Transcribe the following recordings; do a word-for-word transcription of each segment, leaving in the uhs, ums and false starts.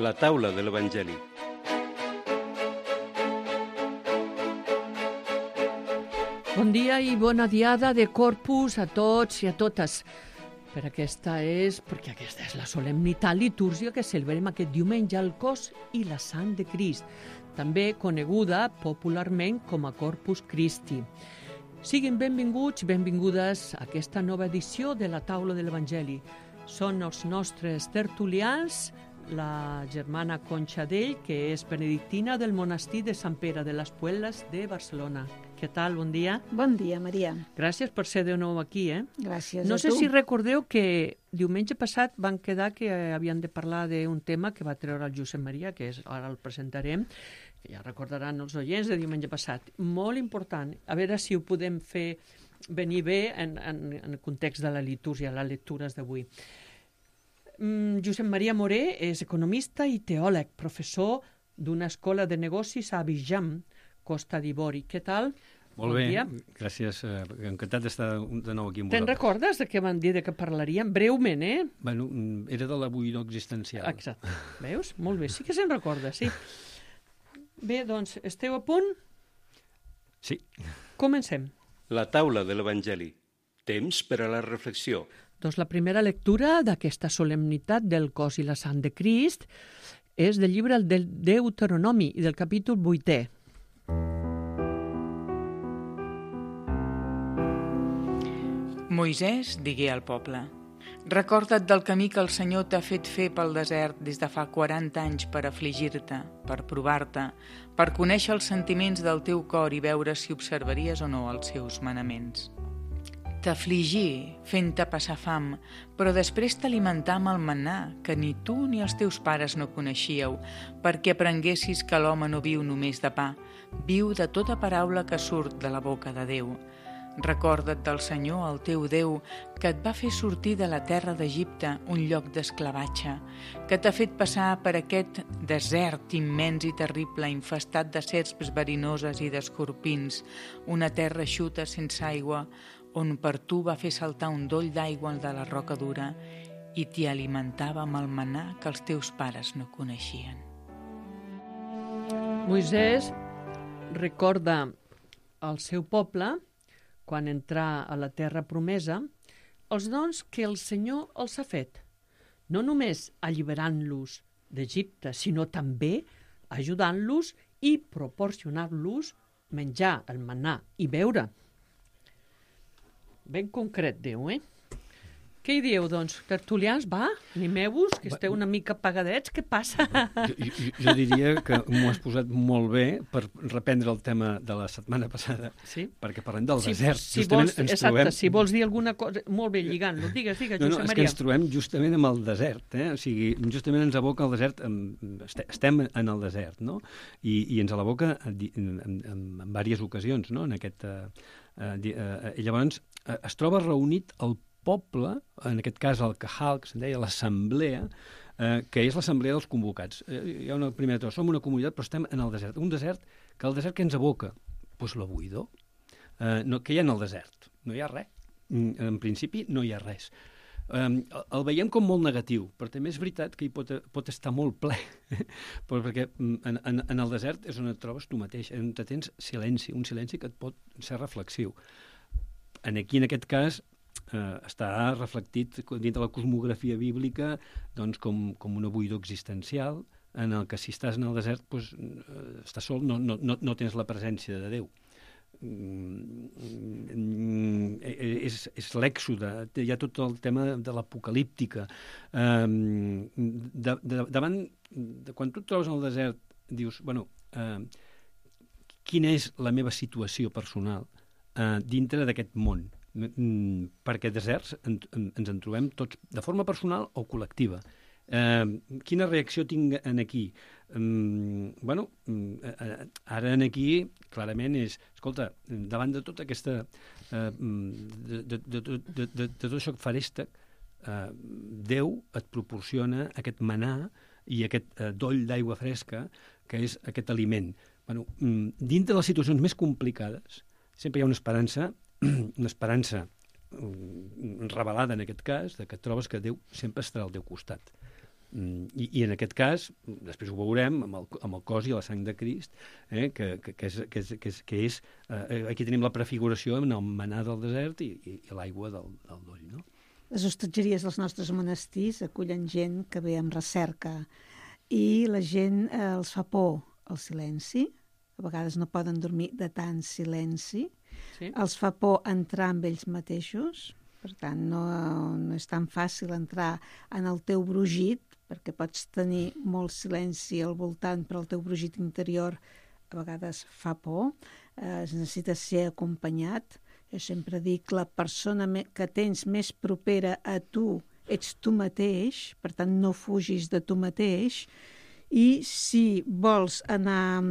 La taula de l'Evangeli. Bon dia i bona diada de Corpus a tots i a totes. Per aquesta és, perquè aquesta és la solemnitat litúrgica que celebrem aquest diumenge al cos i la sang de Crist, també coneguda popularment com a Corpus Christi. Siguin benvinguts i benvingudes a aquesta nova edició de la taula de l'Evangeli. Són els nostres tertulians, la germana Concha Dell, que és benedictina del monestir de Sant Pere de les Puelles de Barcelona. Què tal? Bon dia. Bon dia, Maria. Gràcies per ser de nou aquí, eh? Gràcies no a sé tu. si recordeu que diumenge passat van quedar que havien de parlar d'un tema que va treure el Josep Maria, que és, ara el presentarem, que ja recordaran els oients de diumenge passat. Molt important. A veure si ho podem fer venir bé en, en, en el context de la litúrgia, les lectures d'avui. Mm, Josep Maria Moré és economista i teòleg, professor d'una escola de negocis a Abidjan, Costa d'Ivori. Què tal? Molt Bon bé, dia. gràcies. Eh, encantat d'estar de nou aquí amb Te'n vosaltres. recordes de què van dir de què parlaríem? Breument, eh? Bueno, mm, era de la buidor existencial. Exacte. Veus? Molt bé. Sí que se'n recorda, sí. Bé, doncs, esteu a punt? Sí. Comencem. La taula de l'Evangeli. Temps per a la reflexió. Doncs la primera lectura d'aquesta solemnitat del cos i la sang de Crist és del llibre del Deuteronomi i del capítol vuitè. Moisès digué al poble: recorda't del camí que el Senyor t'ha fet fer pel desert des de fa quaranta anys per afligir-te, per provar-te, per conèixer els sentiments del teu cor i veure si observaries o no els seus manaments. T'afligí fent-te passar fam, però després t'alimentà amb el manà que ni tu ni els teus pares no coneixíeu, perquè aprenguessis que l'home no viu només de pa, viu de tota paraula que surt de la boca de Déu. Recorda't del Senyor, el teu Déu, que et va fer sortir de la terra d'Egipte, un lloc d'esclavatge, que t'ha fet passar per aquest desert immens i terrible, infestat de serps verinoses i d'escorpins, una terra eixuta sense aigua, on per tu va fer saltar un doll d'aigua de la roca dura i t'hi alimentava amb el manà que els teus pares no coneixien. Moisès recorda al seu poble, quan entrà a la terra promesa, els dons que el Senyor els ha fet, no només alliberant-los d'Egipte, sinó també ajudant-los i proporcionant-los menjar, el manà i beure. Ben concret, Déu, eh? Què hi dieu, doncs? Tertulians, va? Animeu-vos, que esteu una mica apagadets. Què passa? Jo, jo, jo diria que m'ho has posat molt bé per reprendre el tema de la setmana passada, Sí? perquè parlem del Si, desert. si Justament vols, ens exacte, trobem... si vols dir alguna cosa... Molt bé, lligant-lo. Digues, digues, No, no, Josep és que Maria. ens trobem justament amb el desert, eh? O sigui, justament ens aboca el desert, amb, estem en el desert, no? I, i ens l'aboca en, en, en, en diverses ocasions, no? En aquest, eh, eh, eh, i llavors eh, es troba reunit el poble, en aquest cas el Kahal, que se'n deia l'assemblea, eh, que és l'assemblea dels convocats. Eh, hi ha una primera cosa, som una comunitat, però estem en el desert. Un desert, que el desert que ens aboca? Doncs la buidor. Eh, no, què hi ha en el desert? No hi ha res. En principi no hi ha res. Um, el veiem com molt negatiu, però també és veritat que hi pot, pot estar molt ple, perquè en, en, en el desert és on et trobes tu mateix, on te tens silenci, un silenci que et pot ser reflexiu. En aquí, en aquest cas, eh, està reflectit dins de la cosmografia bíblica doncs, com, com una buidor existencial, en el que si estàs en el desert doncs, eh, estàs sol, no, no, no, no tens la presència de Déu. Mm, és, és l'èxode, hi ha tot el tema de l'apocalíptica. Um, de, de, davant, de, quan tu et trobes en el desert, dius, bueno, uh, quina és la meva situació personal uh, dintre d'aquest món? Mm, perquè deserts en, en, ens en trobem tots de forma personal o col·lectiva. Uh, quina reacció tinc en aquí? Um, bueno, uh, ara en aquí clarament és, escolta, davant de tota aquesta uh, de, de, de, de, de, de, de tot això que faresta, uh, Déu et proporciona aquest manà i aquest uh, doll d'aigua fresca que és aquest aliment. Bueno, um, dintre de les situacions més complicades sempre hi ha una esperança una esperança um, revelada en aquest cas, de que trobes que Déu sempre estarà al teu costat. I, I en aquest cas, després ho veurem, amb el, amb el cos i la sang de Crist, eh, que, que, que és... Que és, que és, que és eh, aquí tenim la prefiguració en el manar del desert i, i, i l'aigua del, del doll, no? Les hostatgeries dels nostres monestirs acullen gent que ve amb recerca i la gent eh, els fa por el silenci. A vegades no poden dormir de tant silenci. Sí. Els fa por entrar amb ells mateixos. Per tant, no, no és tan fàcil entrar en el teu brugit, perquè pots tenir molt silenci al voltant, però el teu brugit interior a vegades fa por. Eh, es necessita ser acompanyat. Jo sempre dic, la persona que tens més propera a tu ets tu mateix, per tant no fugis de tu mateix, i si vols anar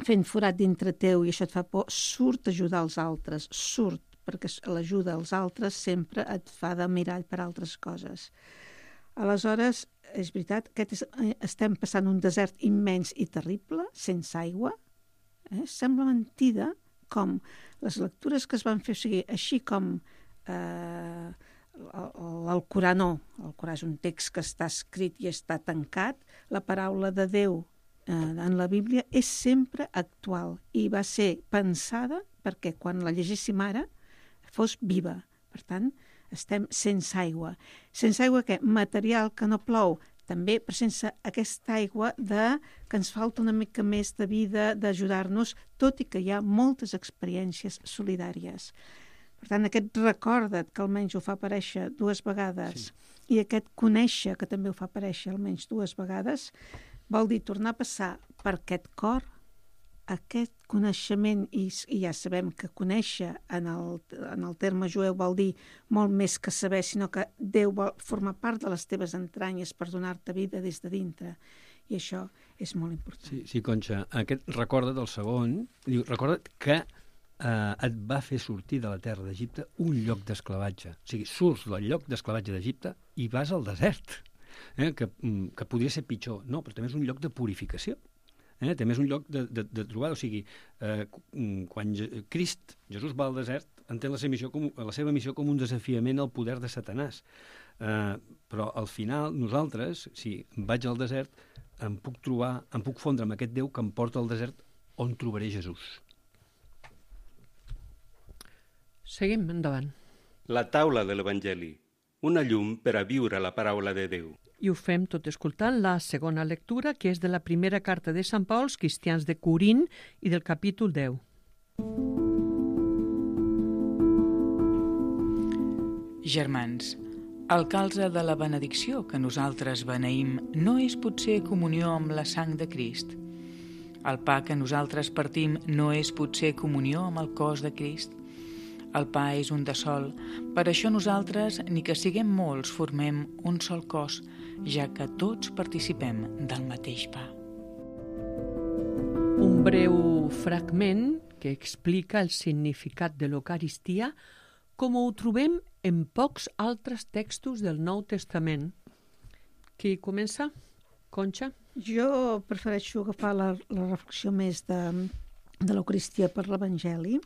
fent forat dintre teu i això et fa por, surt a ajudar els altres, surt, perquè l'ajuda als altres sempre et fa de mirall per altres coses. Aleshores, és veritat que estem passant un desert immens i terrible, sense aigua, eh? Sembla mentida com les lectures que es van fer, o sigui, així com eh, l'Alcorà no, l'Alcorà és un text que està escrit i està tancat, la paraula de Déu eh, en la Bíblia és sempre actual i va ser pensada perquè quan la llegíssim ara fos viva. Per tant, estem sense aigua. Sense aigua què? Material que no plou, també, però sense aquesta aigua de, que ens falta una mica més de vida, d'ajudar-nos, tot i que hi ha moltes experiències solidàries. Per tant, aquest recorda't, que almenys ho fa aparèixer dues vegades, sí. I aquest conèixer, que també ho fa aparèixer almenys dues vegades, vol dir tornar a passar per aquest cor, aquest coneixement, i, i ja sabem que conèixer en el, en el terme jueu vol dir molt més que saber, sinó que Déu vol formar part de les teves entranyes per donar-te vida des de dintre. I això és molt important. Sí, sí, Conxa, aquest recorda't del segon, diu, recorda't que eh, et va fer sortir de la terra d'Egipte un lloc d'esclavatge. O sigui, surts del lloc d'esclavatge d'Egipte i vas al desert, eh, que, que podria ser pitjor. No, però també és un lloc de purificació. Eh? També és un lloc de, de, de trobada. O sigui, eh, quan Je- Crist, Jesús va al desert, entén la seva missió com, la seva missió com un desafiament al poder de Satanàs. Eh, però al final, nosaltres, si vaig al desert, em puc trobar, em puc fondre amb aquest Déu que em porta al desert on trobaré Jesús. Seguim endavant. La taula de l'Evangeli, una llum per a viure la paraula de Déu. I ho fem tot escoltant la segona lectura, que és de la primera carta de Sant Pau als cristians de Corint i del capítol deu. Germans, el calze de la benedicció que nosaltres beneïm no és potser comunió amb la sang de Crist. El pa que nosaltres partim no és potser comunió amb el cos de Crist. El pa és un de sol, per això nosaltres, ni que siguem molts, formem un sol cos, ja que tots participem del mateix pa. Un breu fragment que explica el significat de l'Eucaristia com ho trobem en pocs altres textos del Nou Testament. Qui comença? Conxa? Jo prefereixo agafar la, la reflexió més de, de l'Eucaristia per l'Evangeli,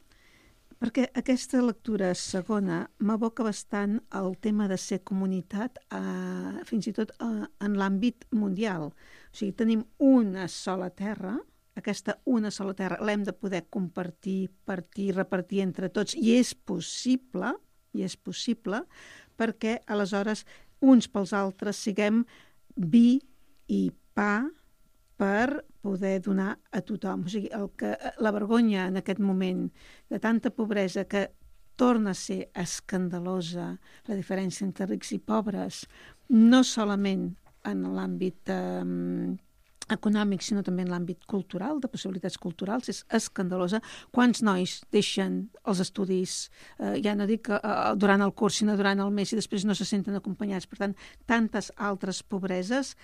perquè aquesta lectura segona m'aboca bastant al tema de ser comunitat, eh, fins i tot eh, en l'àmbit mundial. O sigui, tenim una sola terra, aquesta una sola terra l'hem de poder compartir, partir, repartir entre tots, i és possible, i és possible, perquè aleshores uns pels altres siguem vi i pa per poder donar a tothom. O sigui, el que, la vergonya en aquest moment de tanta pobresa que torna a ser escandalosa, la diferència entre rics i pobres, no solament en l'àmbit eh, econòmic, sinó també en l'àmbit cultural, de possibilitats culturals, és escandalosa. Quants nois deixen els estudis, eh, ja no dic eh, durant el curs, sinó durant el mes, i després no se senten acompanyats. Per tant, tantes altres pobreses.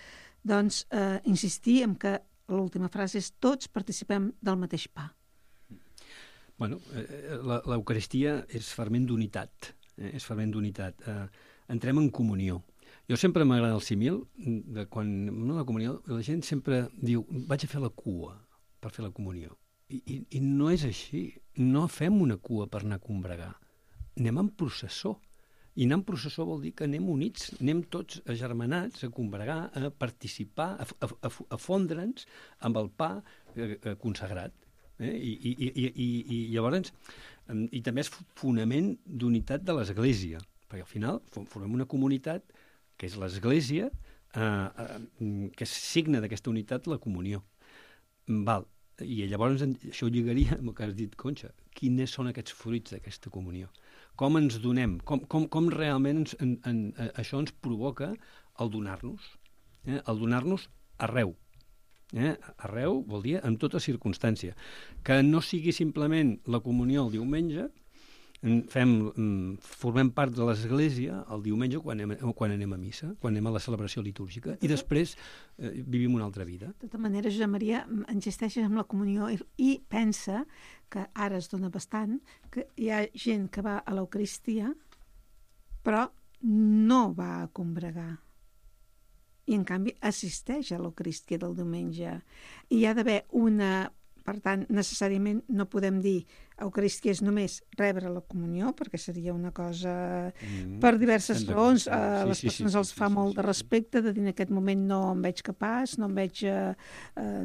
Doncs eh, insistir en que l'última frase és tots participem del mateix pa. Bueno, eh, l'Eucaristia és ferment d'unitat, eh, és ferment d'unitat. Eh, entrem en comunió. Jo sempre m'agrada el símil, de quan no la comunió, la gent sempre diu, vaig a fer la cua per fer la comunió. I, i, i no és així. No fem una cua per anar a combregar. Anem en processó. I anar en processó vol dir que anem units, anem tots agermanats a combregar, a participar, a, a, a, a fondre'ns amb el pa eh, eh, consagrat. Eh? I, i, i, i, I llavors, eh, i també és fonament d'unitat de l'Església, perquè al final formem una comunitat que és l'Església, eh, eh, que signa d'aquesta unitat la comunió. Val. I llavors això ho lligaria amb el que has dit, Conxa. Quines són aquests fruits d'aquesta comunió? Com ens donem? Com, com, com realment ens, en, en, això ens provoca el donar-nos? Eh? El donar-nos arreu. Eh? Arreu vol dir en tota circumstància. Que no sigui simplement la comunió el diumenge, fem, formem part de l'Església el diumenge quan anem, quan anem a missa, quan anem a la celebració litúrgica, i després eh, vivim una altra vida. De tota manera, Josep Maria, insisteixes en la comunió i, i pensa que ara es dona bastant que hi ha gent que va a l'Eucaristia però no va a combregar. I, en canvi, assisteix a l'Eucaristia del diumenge. I hi ha d'haver una... Per tant, necessàriament no podem dir Eucaristia és només rebre la comunió, perquè seria una cosa mm, per diverses raons. A sí, les sí, persones sí, els sí, fa sí, molt sí, de respecte, de dir en aquest moment no em veig capaç, no em veig... Eh, eh,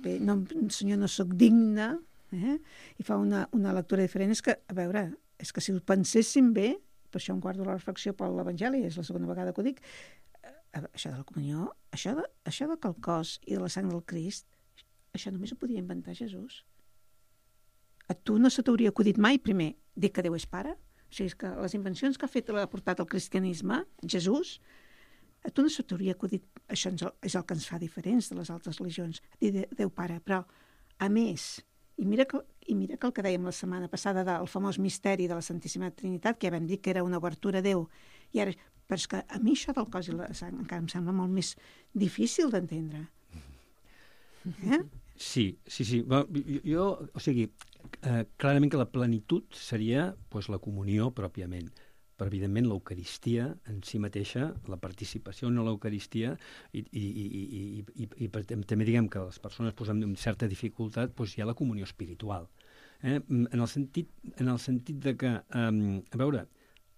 bé, no, senyor, no sóc digne, eh? I fa una, una lectura diferent. És que, a veure, és que si ho penséssim bé, per això em guardo la reflexió per l'Evangeli, és la segona vegada que ho dic, eh, això de la comunió, això de, això de que el cos i de la sang del Crist, això només ho podia inventar Jesús. A tu no se t'hauria acudit mai, primer, dir que Déu és pare? O sigui, és que les invencions que ha fet l'ha portat el cristianisme, Jesús, a tu no se t'hauria acudit... Això és el que ens fa diferents de les altres religions, dir Déu pare. Però, a més, i mira que, i mira que el que dèiem la setmana passada del famós misteri de la Santíssima Trinitat, que ja vam dir que era una obertura a Déu, i ara, però és que a mi això del cos i la sang encara em sembla molt més difícil d'entendre. Eh? Sí, sí, sí. Jo, jo o sigui, eh, clarament que la plenitud seria pues, la comunió pròpiament, però evidentment l'Eucaristia en si mateixa, la participació en l'Eucaristia i, i, i, i, i, i, i també diguem que les persones pues, amb certa dificultat pues, hi ha la comunió espiritual. Eh? En, el sentit, en el sentit de que, eh, a veure,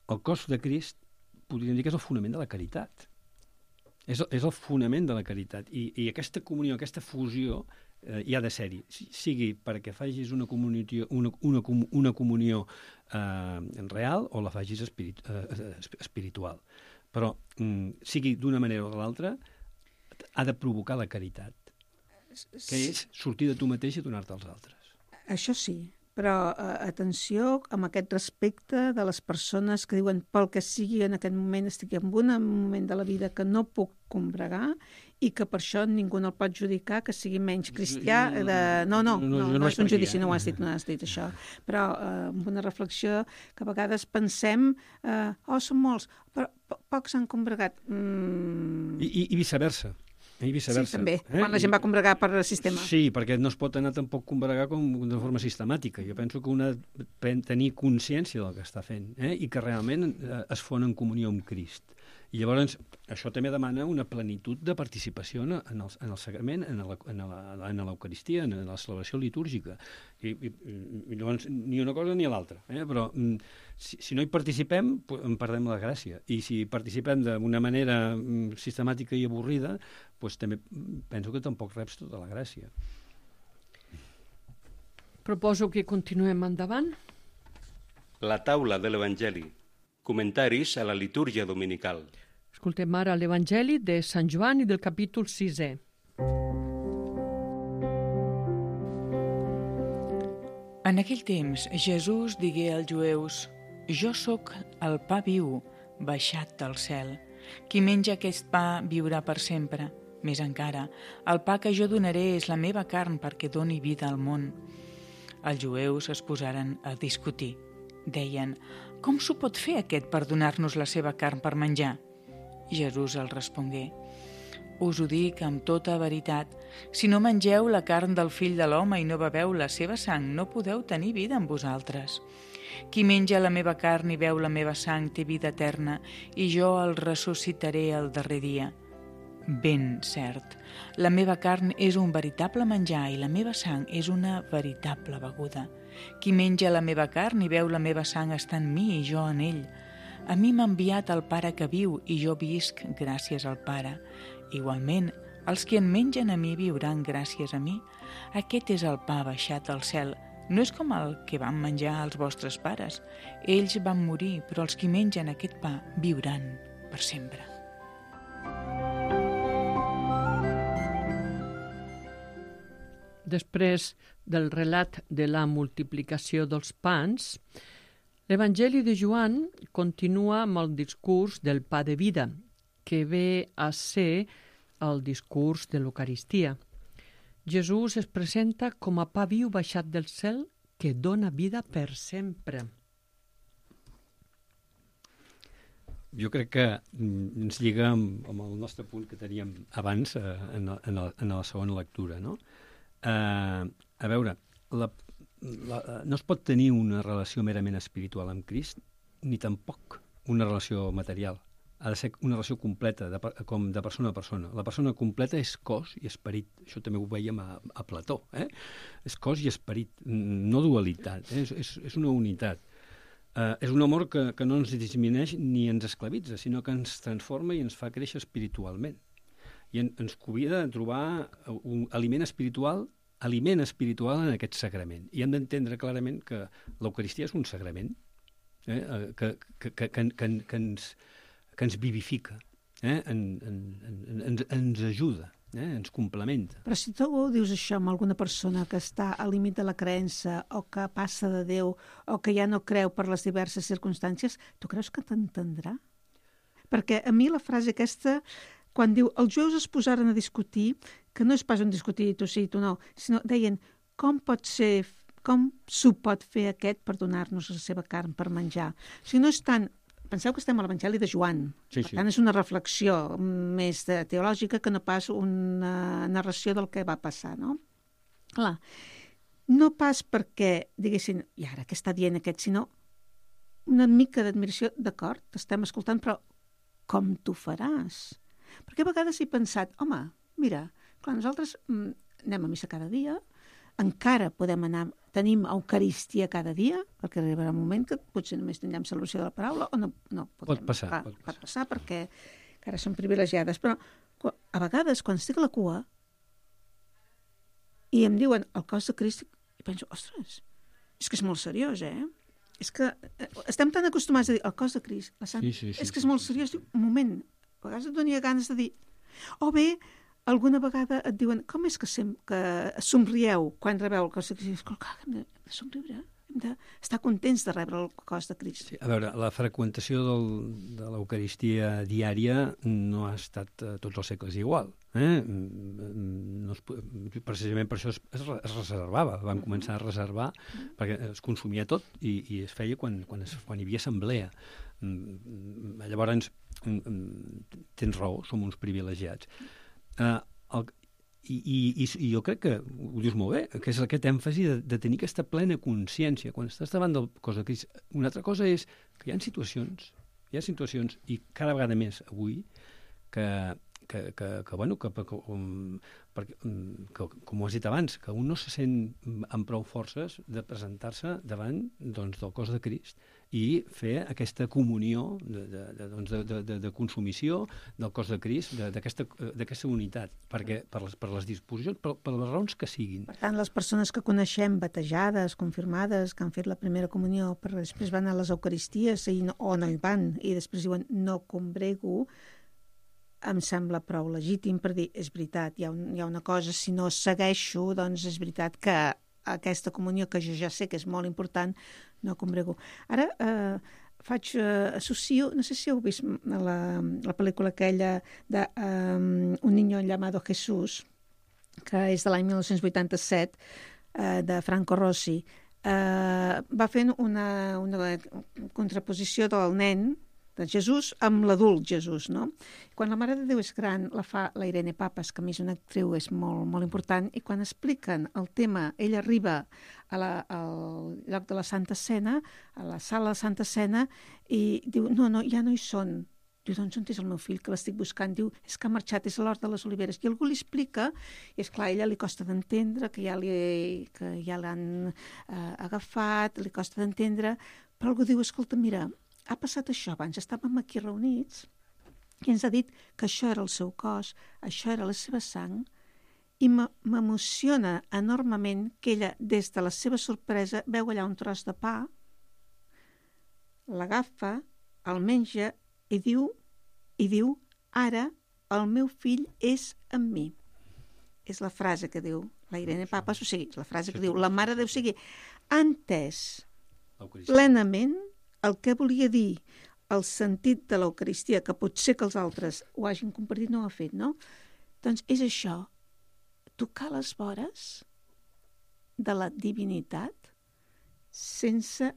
el cos de Crist podríem dir que és el fonament de la caritat. És el, és el fonament de la caritat. I, i aquesta comunió, aquesta fusió, eh, hi ha de ser-hi. Sigui perquè facis una comunió, una, una, una comunió eh, real o la facis espirit, eh, espiritual. Però, mm, sigui d'una manera o de l'altra, ha de provocar la caritat, que és sortir de tu mateix i donar-te als altres. Això sí, però eh, atenció amb aquest respecte de les persones que diuen pel que sigui en aquest moment estic en un moment de la vida que no puc combregar i que per això ningú no el pot judicar que sigui menys cristià. De... No, no, no, no, no és un judici, no ho has dit, no has dit això. Però eh, amb una reflexió que a vegades pensem eh, oh, són molts, però pocs han combregat. Mm. I, i, I viceversa. I viceversa. Sí, també, eh? quan la gent va combregar per sistema. Sí, perquè no es pot anar tampoc combregar com de forma sistemàtica. Jo penso que una ha de tenir consciència del que està fent eh? I que realment eh, es fon en comunió amb Crist. I llavors això també demana una plenitud de participació en el, en el sagrament, en l'Eucaristia, en la celebració litúrgica. I, i, i llavors ni una cosa ni l'altra. Eh? Però si, si no hi participem, en perdem la gràcia. I si participem d'una manera sistemàtica i avorrida, doncs també penso que tampoc reps tota la gràcia. Proposo que continuem endavant. La taula de l'Evangeli. Comentaris a la litúrgia dominical. Escoltem ara l'Evangeli de Sant Joan i del capítol sisè. En aquell temps, Jesús digué als jueus: «Jo sóc el pa viu, baixat del cel. Qui menja aquest pa viurà per sempre. Més encara, el pa que jo donaré és la meva carn perquè doni vida al món». Els jueus es posaren a discutir. Deien: «Com s'ho pot fer aquest per donar-nos la seva carn per menjar?» Jesús els respongué: «Us ho dic amb tota veritat, si no mengeu la carn del Fill de l'Home i no beveu la seva sang, no podeu tenir vida en vosaltres. Qui menja la meva carn i beu la meva sang té vida eterna, i jo el ressuscitaré el darrer dia. Ben cert, la meva carn és un veritable menjar i la meva sang és una veritable beguda. Qui menja la meva carn i beu la meva sang està en mi i jo en ell. A mi m'ha enviat el Pare que viu i jo visc gràcies al Pare. Igualment, els que en mengen a mi viuran gràcies a mi. Aquest és el pa baixat al cel. No és com el que van menjar els vostres pares. Ells van morir, però els que mengen aquest pa viuran per sempre. Després del relat de la multiplicació dels pans, l'Evangeli de Joan continua amb el discurs del pa de vida, que ve a ser el discurs de l'Eucaristia. Jesús es presenta com a pa viu baixat del cel que dona vida per sempre. Jo crec que ens lliga amb, amb el nostre punt que teníem abans eh, en, en, la, en la segona lectura, no? Eh, a veure, la, la, no es pot tenir una relació merament espiritual amb Crist, ni tampoc una relació material. Ha de ser una relació completa, de, com de persona a persona. La persona completa és cos i esperit. Això també ho veiem a, a Plató. Eh? És cos i esperit, no dualitat. Eh? És, és, és una unitat. Eh, és un amor que, que no ens disminueix ni ens esclavitza, sinó que ens transforma i ens fa créixer espiritualment. I en, ens convida a trobar un aliment espiritual, aliment espiritual en aquest sagrament. I hem d'entendre clarament que l'Eucaristia és un sagrament eh? que, que, que, que, que, que ens... que ens vivifica, eh? en, en, en, ens, ens ajuda, eh? ens complementa. Però si tu dius això amb alguna persona que està al límit de la creença o que passa de Déu o que ja no creu per les diverses circumstàncies, tu creus que t'entendrà? Perquè a mi la frase aquesta, quan diu els jueus es posaren a discutir, que no és pas un discutir tu sí, tu no, sinó deien com pot ser, com s'ho pot fer aquest per donar-nos la seva carn per menjar. O sigui, no és tant... Penseu que estem a l'Evangeli de Joan. Sí, per sí. tant, és una reflexió més de teològica que no pas una narració del que va passar, no? Clar, no pas perquè diguessin, i ara què està dient aquest, sinó una mica d'admiració, d'acord, t'estem escoltant, però com t'ho faràs? Perquè a vegades he pensat, home, mira, clar, nosaltres mm, anem a missa cada dia, encara podem anar, tenim Eucaristia cada dia, perquè arribarà un moment que potser només tindrem celebració de la paraula, o no, no podem. Pot passar, Clar, pot passar. Pot passar perquè encara som privilegiades, però a vegades quan estic a la cua i em diuen el cos de Crist, i penso, ostres, és que és molt seriós, eh? És que estem tan acostumats a dir el cos de Crist, la sang, Sí, sí, sí, és que és sí, molt sí. seriós. Diu, un moment, a vegades et donia ganes de dir, o bé, alguna vegada et diuen, com és que, sem que somrieu quan rebeu el cos de Crist? Clar, hem de, hem de somriure, hem d'estar contents de rebre el cos de Crist. Sí, a veure, la freqüentació del, de l'Eucaristia diària no ha estat a tots els segles igual. Eh? No es, precisament per això es, es reservava, van començar a reservar perquè es consumia tot i, i es feia quan, quan, es, quan hi havia assemblea. Llavors, tens raó, som uns privilegiats. Uh, el, i, i, I jo crec que ho dius molt bé, que és aquest èmfasi de, de tenir aquesta plena consciència quan estàs davant del cos de Crist. Una altra cosa és que hi ha situacions, hi ha situacions, i cada vegada més avui, que, que, que, que bueno, que, que, um, perquè, um, que, com ho has dit abans, que un no se sent amb prou forces de presentar-se davant doncs, del cos de Crist i fer aquesta comunió de, de, de, doncs de, de, de consumició del cos de Crist, d'aquesta unitat, perquè per les, per les disposicions, per, per les raons que siguin. Per tant, les persones que coneixem batejades, confirmades, que han fet la primera comunió, però després van a les Eucaristies i no, o no hi van, i després diuen no combrego, em sembla prou legítim per dir, és veritat, hi ha, un, hi ha una cosa, si no segueixo, doncs és veritat que aquesta comunió, que jo ja sé que és molt important, no combrego. Ara eh, faig, eh, associo, no sé si heu vist la, la pel·lícula aquella de um, Un niño llamado Jesús, que és de l'any mil nou-cents vuitanta-set, eh, de Franco Rossi. Eh, va fent una, una contraposició del nen, de Jesús, amb l'adult Jesús, no? Quan la Mare de Déu és gran, la fa la Irene Papas, que a mi és una actriu, és molt, molt important, i quan expliquen el tema, ella arriba a la, al lloc de la Santa Cena, a la sala de Santa Cena, i diu, no, no, ja no hi són. Diu, doncs on és el meu fill, que l'estic buscant? Diu, és que ha marxat, és a l'Hort de les Oliveres. I algú li explica, i és clar, a ella li costa d'entendre, que ja li, que ja l'han eh, agafat, li costa d'entendre, però algú diu, escolta, mira, ha passat això abans, estàvem aquí reunits i ens ha dit que això era el seu cos, això era la seva sang, i m'emociona enormement que ella, des de la seva sorpresa, veu allà un tros de pa, l'agafa, el menja i diu, i diu, ara el meu fill és amb mi. És la frase que diu la Irene Papas, o sigui, la frase que diu la Mare de Déu, o sigui, ha entès plenament el que volia dir el sentit de l'Eucaristia, que potser que els altres ho hagin compartit, no ho ha fet, no? Doncs és això, tocar les vores de la divinitat sense...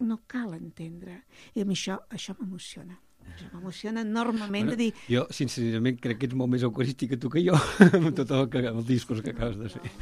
no cal entendre. I a mi això, això m'emociona. Això m'emociona enormement bueno, de dir... Jo, sincerament, crec que ets molt més eucarístic que tu que jo, amb tot el, que, el discurs que acabes de fer.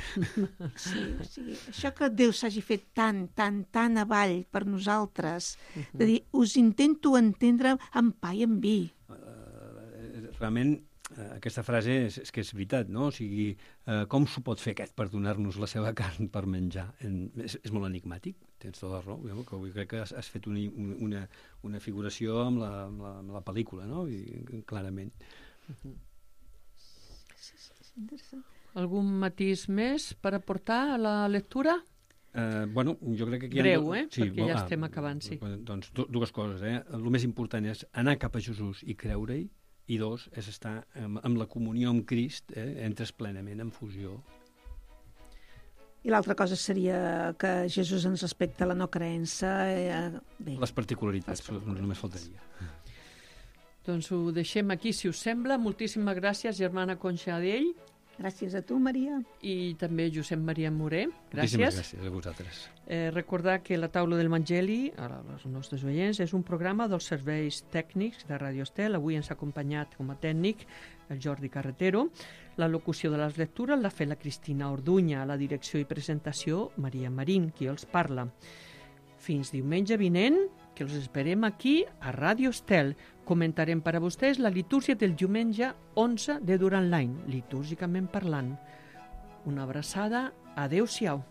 Sí, o sigui, això que Déu s'hagi fet tan, tan, tan avall per nosaltres, de dir, us intento entendre amb pa i amb vi. Uh, realment, uh, aquesta frase és, és que és veritat, no? O sigui, uh, com s'ho pot fer aquest per donar-nos la seva carn per menjar? En, és, és molt enigmàtic. Tens tota la raó, que avui crec que has, has fet una, una, una figuració amb la, amb la, amb la pel·lícula, no? I, clarament. Uh-huh. Algun matís més per aportar a la lectura? Uh, bueno, jo crec que aquí... Breu, eh? Sí, perquè ja ah, estem acabant, sí. Doncs dues coses, eh? El més important és anar cap a Jesús i creure-hi, i dos, és estar amb, amb la comunió amb Crist, eh? Entres plenament en fusió. I l'altra cosa seria que Jesús ens respecta la no creença. Eh, bé. Les particularitats, Les particularitats. Només faltaria. Doncs ho deixem aquí, si us sembla. Moltíssimes gràcies, germana Conxa Adell. Gràcies a tu, Maria. I també Josep Maria Moré. Gràcies. Moltíssimes gràcies a vosaltres. Eh, recordar que la taula del Evangeli, als nostres oients, és un programa dels serveis tècnics de Radio Estel. Avui ens ha acompanyat com a tècnic el Jordi Carretero. La locució de les lectures l'ha fet la Cristina Orduña, la direcció i presentació Maria Marín, qui els parla. Fins diumenge vinent, que els esperem aquí a Radio Estel. Comentarem per a vostès la litúrgia del diumenge onze de durant l'any, litúrgicament parlant. Una abraçada, adeu-siau.